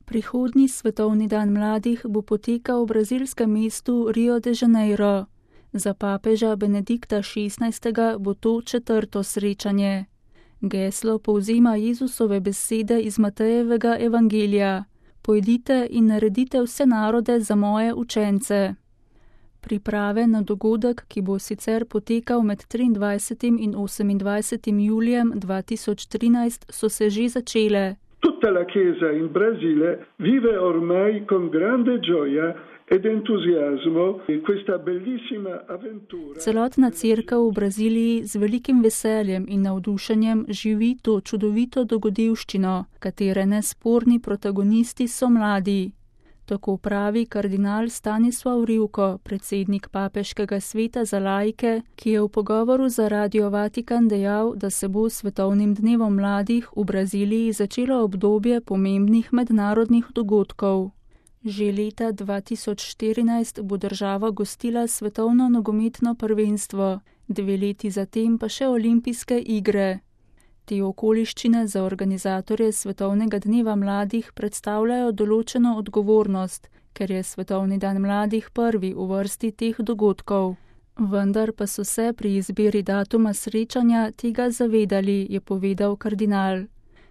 Prihodnji svetovni dan mladih bo potekal v brazilskem mestu Rio de Janeiro. Za papeža Benedikta XVI. Bo to 4. srečanje. Geslo povzema Jezusove besede iz Matejevega evangelija: Pojdite in naredite vse narode za moje učence. Priprave na dogodek, ki bo sicer potekal med 23. in 28. julijem 2013, so se že začele. Tutta la Chiesa in Brasile vive ormai con grande gioia ed entusiasmo questa bellissima avventura. Celotna cerkev v Braziliji z velikim veseljem in navdušenjem živi to čudovito dogodivščino, katere nesporni protagonisti so mladi. Tako pravi kardinal Stanislav Rivko, predsednik Papeškega sveta za laike, ki je v pogovoru za Radio Vatikan dejal, da se bo s svetovnim dnevom mladih v Braziliji začelo obdobje pomembnih mednarodnih dogodkov. Že leta 2014 bo država gostila svetovno nogometno prvenstvo, 2 leti zatem pa še olimpijske igre. Te okoliščine za organizatorje svetovnega dneva mladih predstavljajo določeno odgovornost, ker je svetovni dan mladih prvi v vrsti teh dogodkov. Vendar pa so se pri izbiri datuma srečanja tega zavedali, je povedal kardinal.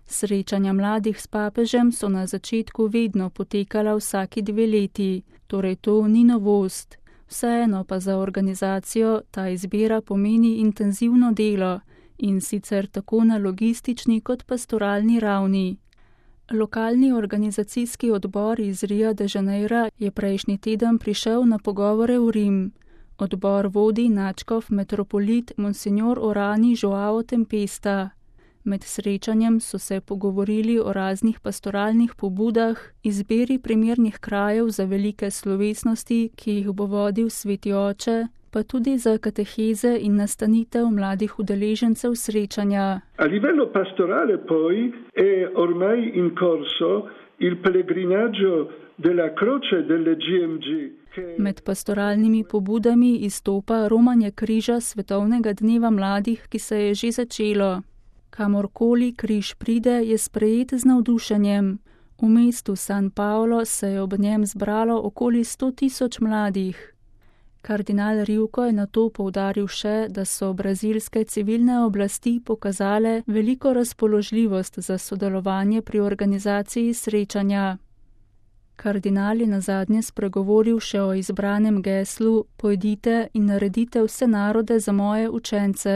Srečanja mladih s papežem so na začetku vedno potekala vsaki 2 leti, torej to ni novost. Vseeno pa za organizacijo ta izbira pomeni intenzivno delo, in sicer tako na logistični kot pastoralni ravni. Lokalni organizacijski odbor iz Ria de Janeira je prejšnji teden prišel na pogovore v Rim. Odbor vodi nadškof metropolit Monsignor Orani Joao Tempesta. Med srečanjem so se pogovorili o raznih pastoralnih pobudah, izbiri primernih krajev za velike slovesnosti, ki jih bo vodil Sveti Oče, pa tudi za kateheze in nastanitev mladih udeležencev srečanja. A livello pastorale poi è ormai in corso il pellegrinaggio della Croce delle GMG. Med pastoralnimi pobudami izstopa romanje križa svetovnega dneva mladih, ki se je že začelo. Kamorkoli križ pride, je sprejet z navdušenjem. V mestu San Paulo se je ob njem zbralo okoli 100.000 mladih. Kardinal Rivko je nato poudaril še, da so brazilske civilne oblasti pokazale veliko razpoložljivost za sodelovanje pri organizaciji srečanja. Kardinal je nazadnje spregovoril še o izbranem geslu: Pojdite in naredite vse narode za moje učence.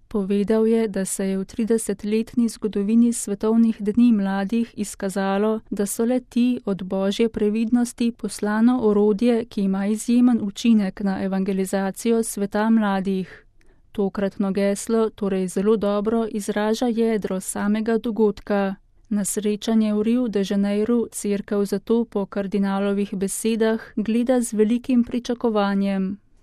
Povedal je, da se je v 30-letni zgodovini svetovnih dni mladih izkazalo, da so le ti od božje previdnosti poslano orodje, ki ima izjemen učinek na evangelizacijo sveta mladih. Tokratno geslo torej zelo dobro izraža jedro samega dogodka. Na srečanje v Riu de Janeiru cerkev zato po kardinalovih besedah gleda z velikim pričakovanjem.